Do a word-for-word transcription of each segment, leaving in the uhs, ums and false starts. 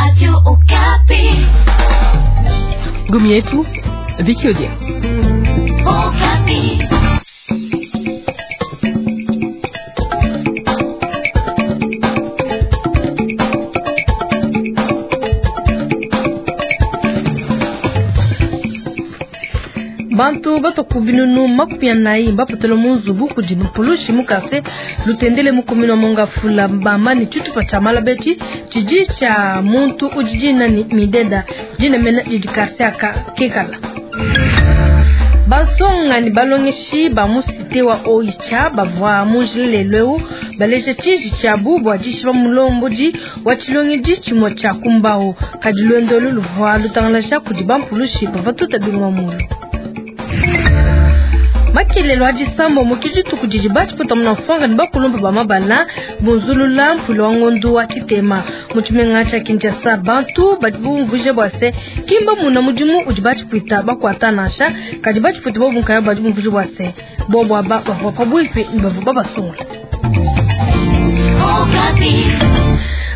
Radio Okapi. Gomi yetu Vicky Odia. Okapi. Bantu batoku binunu makumi anayi bapotela mu nzubu kudi mpulushi mukase lutendele mukumina mongafula bamba ni tshitupa tshia malabeti tshidi tshia muntu udi dina ni mideda dina mena didi quartier aka kekala. Bansonga ni balongeshi ba mu cité wa Oicha bavua mu njila lelu eu baleja tshiji tshiabu bua dishipa mulombodi wa tshilongedi tshimue tshia kumbao kadi luendo olu luvua lutangalaja kudi bampulushi bavua tuta bingoma mulu. Makelelo a disambo mu dituku didi batshipota muna mfwanga ni bakulumba ba mabala bunzulula mpulo wa ngondu wa tshitema mu tshimenga tshia Kinshasa bantu badi bumvuije bua se kimba muna mudimu udi batshipwita bakuata nansha kadi batshipwita bobu nkaya badi bumvuije bua se bobu aba bavua pabuipi ni bavua babasungula.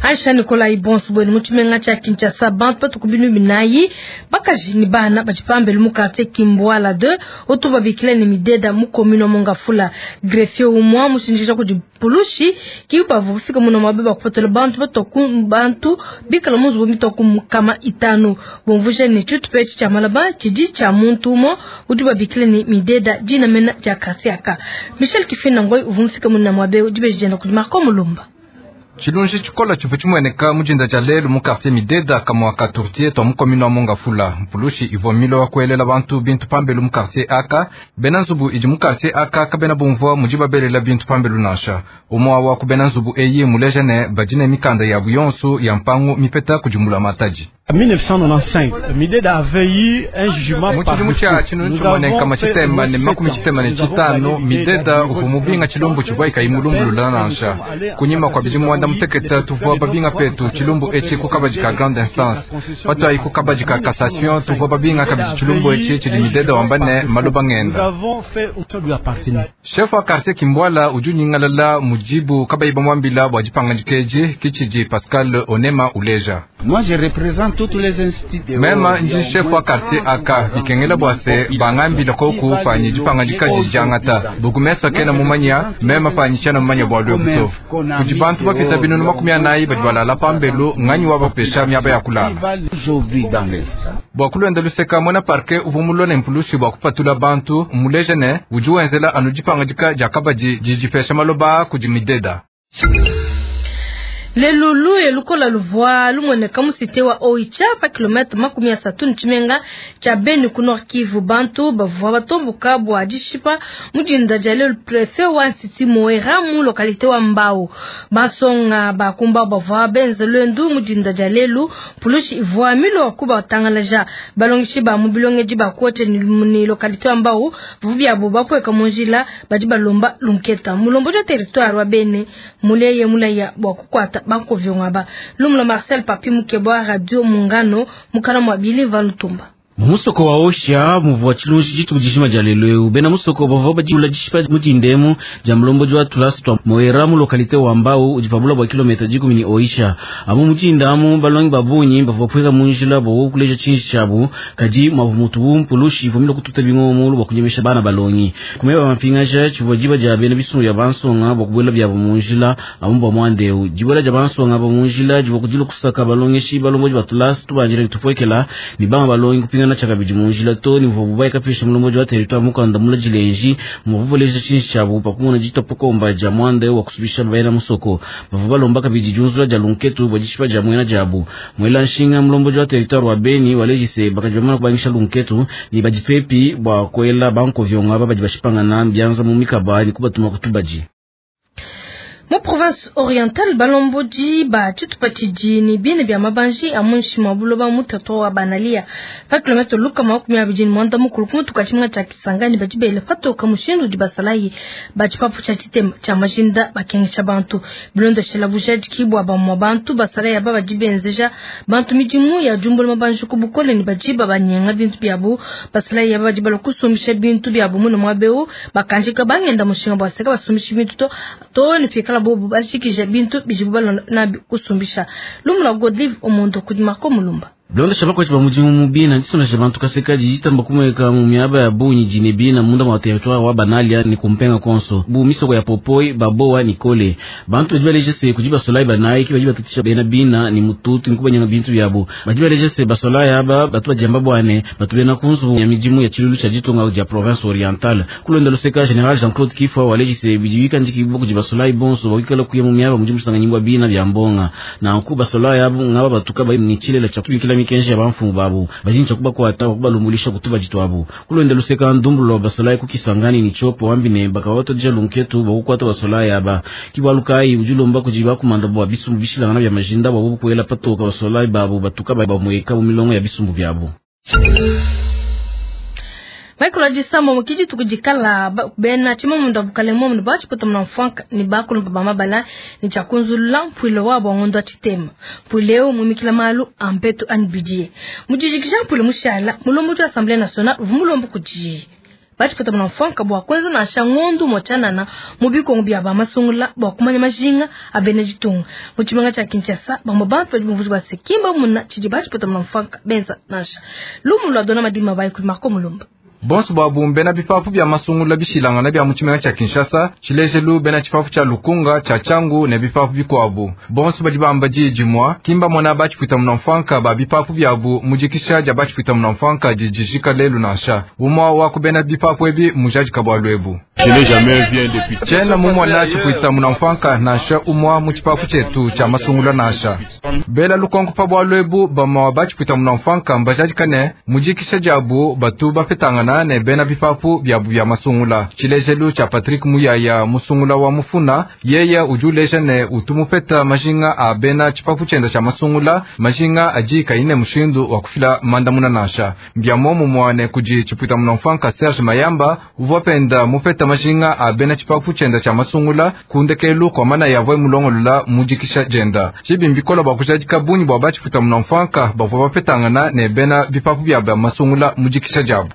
Aisha Nikolai bonso bwenu mu tshimenga tshia Kinshasa bantu batuku binu binayi bakaji ni bana badi pambelu mu quartier Kimbwala deux otu babikila ni mideda mu commune wa Mongafula greffier umwa mushinjisha kudi pulushi kibavu bufika muno mabe bakupotela bantu batoku bantu bikala mu nzubu mitoku kama itanu bomvuje ni tshitupa etshi tshia malaba tshidi tshia muntu umo udi babikila ni mideda dina mena dia quartier aka Michel Kifina ngoi uvumfika muno mwabe udi bejenda kudi Marco Mulumba. Tshilunji tshikola tshivua tshimueneka mu dinda dia lelu mu quartier Mideda kamua ka Tourtier twa mu commune wa Mongafula. Mpulushi ivua milo wa kuelela bantu bintu pambelu mu quartier aka bena nzubu idi mu quartier aka kabena bumvua mudi babelela bintu pambelu nansha. Umua wa ku bena nzubu eyi muleja ne badi ne mikanda yabu yonso ya mpangu mipeta kudi mbulamatadi. mille neuf cent quatre-vingt-quinze, Mideda avait eu un jugement mu par tshidimu tshia tshinunu tshimue nkama tshitema ne makumi tshitema ne tshitanu Mideda uvua mubinga tshilumbu tshivua ikayi mulumbulula nansha. Kunyima kua bidimu muanda mutekete tuvua babinga petu tshilumbu etshi ku kabadi ka grande instance patwayi ku kabadi ka cassation tuvua babinga kabidi tshilumbu etshi tshidi Mideda wamba ne maloba ngenda. Chef wa quartier Kimbwala udi unyingalala mujibu kabayi bamwambila bua dipangandika edi kitshidi Pascal Onema uleja. Moi je représente toutes les instituts. Mema nji chef wa quartier aka bikengela bua se bangambila koku panyi dipangandika dijangata bukumesa kena mumanya mema panyi tshana mumanya bua lwebu to kudi bantu bapita binunu makumi anayi badi balala pambelu nganyi wabapesha miaba ya kulala bua kulwenda luseka muena parquet uvua mulone mpulushi bua kupatula bantu muleja ne udi wenzela anu dipangandika dia kabadi didipesha maloba kudi Mideda. Lelulu elukola luvua lumueneka mu cité wa Oicha pa kilomètre makumi asatu ni tshimenga tshia Beni ku Nord Kivu bantu bavua batomboka bua dishipa mu dinda dia lelu préfet wa Nsiti Moera mu localité wa Mbao basonga bakumba bavua benza lwendu mu dinda dia lelu pulushi ivua milo kubatangalaja balongeshi ba mu bilongedi ba kuote ni localité wa Mbao bavua biabo bakweka mu njila badi balomba lunketa mulombo ja territoire wa Beni muleye mulaya bua kukwata banko vyongaba lumlo Marcel Papi Mukebwa Radio Mungano mukana mwa Bili Valutumba. Musoko wa Osha muvua tshilunji dituku dijima dia lelu eu bena musoko bavua badiula dishipa mu dindemu dia mulombodi wa tulasa twa Moera mu localité wa Mbau udi pabula bua kilomètre dikumi ni Oisha amu mu dindamu balongi babunyi bavua bapueka mu njila bua kuleja tshinji tshiabu kadi mwavu mutubu mpulushi ivua mila kututa bingoma bua kunyemesha bana balongi kumeba mapingaja tshivua diba dia bena bisungu bia bansonga bua kubuela biabu mu njila amu bua muandeu dibuela dia bansonga ba mu njila divua kudila kusaka balongeshi balombodi ba tulasa tubanjila nitupuekela ni banga balongi kupinga na chakabidi mu njila to ni mvubu baika pesha mulombodi wa territoire mukanda mula jilenji mvubu leja tshinji tshiabu pakumona ditapokomba dia muanda wa kusubisha baena musoko bavu balomba kabidi junzula dia lunketu bua dishipa dia muena diabu mwela nshinga mulombodi wa territoire wa Beni walejise bakajamana kubangisha lunketu ni badipepi bua kuela banko vyonga badi bashipangana byanza mu mikaba ni kubatuma kutubaji. Mu province orientale balombodi ba tshitupa tshidi ni bine bia mabanji a munshi mwa buloba mu territoire wa Banalia pa kilomètre lukama makumi abidi ni mwanda mukulu ku mutuka tshimenga tshia Kisangani badi bele patoka mushindu udi basalayi ba tshipapu tshia tshitema tshia majinda bakengesha bantu bilondeshela bujadiki bua bamua bantu basalayi aba badi benzeja bantu midimu ya jumbula mabanji ku bukole ni badi babanyenga bintu biabu basalayi aba badi balua kusumbisha bintu biabu muno muabeu bakanjika bangenda mushinga bua seka basumbisha bintu to to ni fika Pikala bobu bashikije bintu bidibu balonda nabi kusumbisha. Lumu lwa Godlive Omondo kudi Marco Mulumba. Bilondesha bakwatshi ba mudimu mu bina disondesha bantu kaseka dijitamba kumweka mu miaba ya bunyi jine bina munda mwa territoire wa Banalia ni kumpenga konso bu misoko ya Popoi Baboa ni Kole bantu badi baleje se kudi basolai banayi ki badi batatisha bena bina ni mututu ni kubanyanga bintu byabo badi baleje se basolai aba batu badiamba bwane batu bena kunzu ya midimu ya chilulu cha ditunga dia province orientale kulonda luseka general Jean-Claude Kifwa waleje se bidiwika ndiki kudi basolai bonso bakikala kuya mu miaba mudimu sanganyingwa bina bya mbonga na nku basolai abo ngaba batuka ba ni chilela cha kubikila mikenji ya bamfumu babu bajinja kubakwata kubalumulisha kutuba jitwabu kulonda luseka ndumbulo basolai kukisangani ni chopo wambine bakawatoja lunketu bakukwata basolai aba kibwalukai ujulomba kujiba kumanda bwa bisumbu bishilangana bya majinda bwa bukwela patoka basolai babu batuka bamweka mu milongo ya bisumbu byabo. Michael Ajisamo mukiji tukujikala bena chima mundu abukale mu bachi pota mna ni bakulu baba mabala ni chakunzula mpwilo wa bongondo chitema mpwileo mumikila malu ampeto anbidie mujijikisha mpwilo mushala mulombo tu Assemblée nationale vumulombo kuji bachi pota mna mfanka bwa kwanza na shangondu mochanana mubikongo bya ba masungula bwa kumanya majinga abene jitunga muchimanga cha Kinshasa bambo bantu badi muvuzi bwa sekimba muna chidi bachi pota mna mfanka benza nasha lumu lwa dona madima bai kuli Marco Mulumba. Bonso babu bena bipapu bya masungula bishilangana bya muchimanga cha Kinshasa chilejelu bena chipapu cha Lukunga cha Changu ne bipapu bikwabu bonso badi bamba jijimwa kimba mwana bachi pwita mnamfanka ba bipapu byabu mujikisha ja bachi pwita mnamfanka jijishika lelu nasha umwa wako bena bipapu ebi mujaji kabwalwebu chena mumwana chipwita mnamfanka nasha umwa muchipapu chetu cha masungula nasha bela lukonko pa bwalwebu bama bachi pwita mnamfanka mbajaji kane mujikisha jabu batu bapetangana ne bena bipapu byabu bya masungula chilejelu cha Patrick Muyaya musungula wa mufuna yeye ujuleje ne utumupeta majinga a bena chipapu chenda cha masungula majinga aji kaine mushindu wa kufila mandamuna nasha mbya momu mwane kuji chipwita mnamfanka Serge Mayamba uvopenda mupeta majinga a bena chipapu chenda cha masungula kundekelu kwa mana yavwe mulongolola mujikisha jenda chibimbikola bwa kujadika bunyi bwa bachipwita mnamfanka bavwa bapetangana ne bena bipapu bya masungula mujikisha jabu.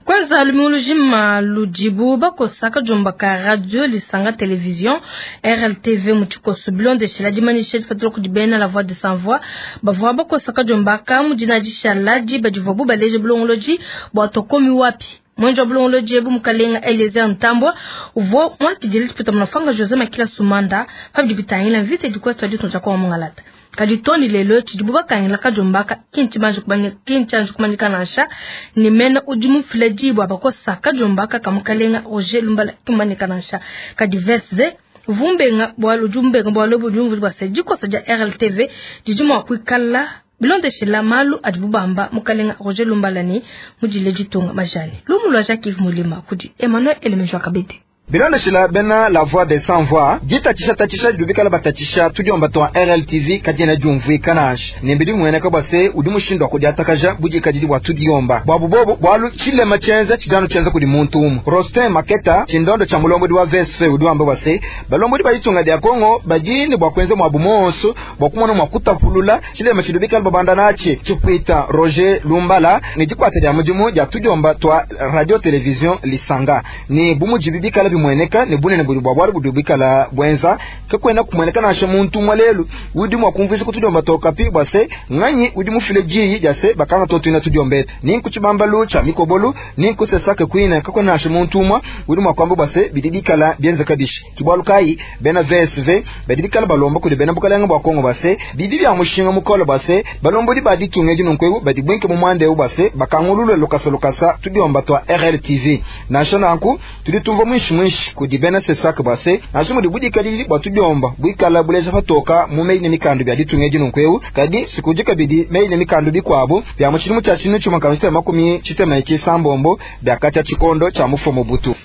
Kwanza lumulujima lujibu bakosaka jomba ka radio lisanga television R L T V muchikoso bilonde shila dimanishe fatro kudibena la voix de sans voix bavwa bakosaka jomba ka mujina dishaladi badivobu baleje bulongoloji bwa tokomi wapi mwenjo bulongoloji ebu mukalenga Eliezer Ntambwa uvo mwakijili tipita mnafanga Jose Makila Sumanda fabidi bitangila vite dikwesto aditunja kwa mungalata kaditoni lelo chidibu bakangila kajombaka kinchi banju kubanya kinchi anju kumanyika nasha ni mena udimu fileji bwa bakosa kajombaka kamukalenga Roger Lumbala kumanyika nasha kadivese vumbenga bwa lujumbenga bwa lobo jumvu bwa sejiko saja R L T V dijumu kwikala bilonde shila malu adibubamba mukalenga Roger Lumbala ni mujile jitunga majani lumu lwa Jacques Mulima kudi Emmanuel Elemejwa Kabete. Bilondeshila bena la voix des sans voix jitatisha tatisha dubikala batatisha tudiomba twa R L T V kajena jumvui kanash nembidi mweneka bwase udi mushindo akudiatakaja bujikajidi bwa tudiomba bwabu bobo bwalu chilema chenza chidano chenza kudi muntu umu Rostin Maketa chindondo cha mulongo wa V S F udi wamba bwase balongo bayitunga dia Kongo bajini bwa kwenza mwabu monso bwa kumona mwa kutapulula chilema chidubikala babanda nachi chipwita Roger Lumbala ni jikwata dia mujimu dia tudiomba twa radio television Lisanga ni bumujibibikala bimweneka ne bunene buli bwa bwali budubikala bwenza kakwena kumweneka nashe muntu mwalelu udi mwakumvisa kutudiomba tokapi bwase nganyi udi mufile jiyi jase bakanga totwina tudiombeta ninkuchibambalu cha mikobolu ninkusesake kwina kakwena nashe muntu mwa udi mwakwamba bwase bidibikala byenza kabishi kibwalu kai bena V S V badibikala balomba kuli bena bukalenga bwa Kongo bwase bidi bya mushinga mukolo bwase balombodi baditunge jinunkwegu badibwenke mu mwande bwase bakangulule lokasa lokasa tudiomba twa R L T V nasho nanku tulitumva mwishi mwishi kudi bena sesaka bwase nasho mudi budikadili bwa tudiomba bwikala buleja patoka mu meyi ne mikandu bya ditunge jinunkwegu kadi sikujika bidi meyi ne mikandu bikwabo bya muchilimu cha chinu chuma chitema makumi chitema chisambombo bya kacha chikondo cha mufomo butu.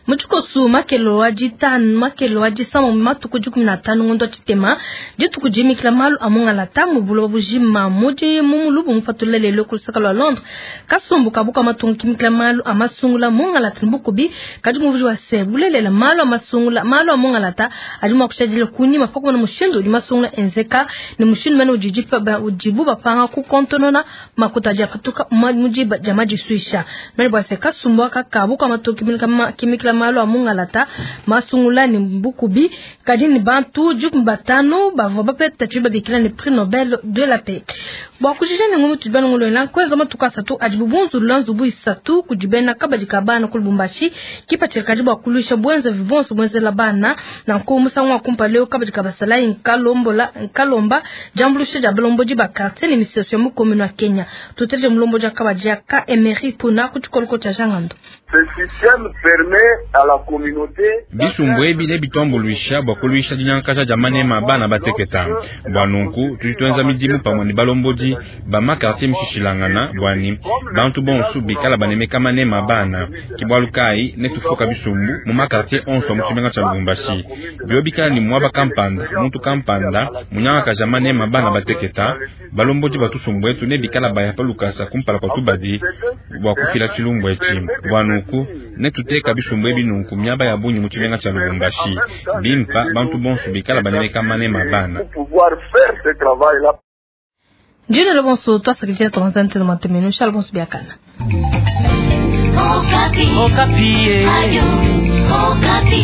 Muchikosu makelo wa jitanu makelo wa jisamo matuku jikumi na tano ngondo chitema jituku jimikila malu amunga la tamu bulo bujima muji mumulubu mupatula lelo kulusaka lwa Londres kasumbu kabuka matungu kimikila malu amasungula munga la tinbukubi kadi muvuji wa se bulelela malu amasungula malu amunga la ta ajuma kuchajile kuni mapako na mushindu udi masungula enzeka ni mushindu mene ujijipa ujibu bapanga kukontonona makuta japatuka mujiba jamaji suisha mene bwase kasumbu kakabuka matungu kimikila malu a mungalata masungula ne bukubi kadi ne bantu dikumi batanu bavua bapeta tshibi babikila ne prix Nobel de la paix. Bua kujija ne ngumu tudi banongolola nkuenza matuku asatu adi bubunzulula nzubu isatu kudi bena kabadi ka bana ku Lubumbashi kipatshila kadi bua kuluisha bwenzavi bonso bwenzela bana nanku musangu wa kumpala leo kabadi ka basalayi nkalombola nkalomba diambuluisha dia balombodi ba quartier ne misesu ya mu commune wa Kenya. Tuteleje mulombodi wa kabadi ya ka Emery Puna ku tshikoloko tshia Jangando. Bisumbu ebi nebituambuluisha bua kuluisha dinyankaja dia manema bana bateketa. Bua nunku tudi tuenza midimu pamue ne balombodi ba ma quartier mishishilangana bua ni bantu bonso bikala banemeka manema bana. Ke bualu kayi netufuka bisumbu mu ma quartier onso mu tshimenga tshia Lubumbashi. Bio bikala ni mwaba kampanda muntu kampanda munyankaja manema bana bateketa balombodi batusumbu etu nebikala baya pa lukasa kumpala kwa tubadi bua kufila tshilumbu etshi. Bua nunku netuteka bisumbu ebi nunku miaba ya bungi mu tshimenga tshia Lubumbashi bimpa bantu bonso bikala banemeka manema bana. Jina lobonso twasakidila twanzante na matemeno shala bonso biakana. Okapi. Okapi. Ayo, Okapi.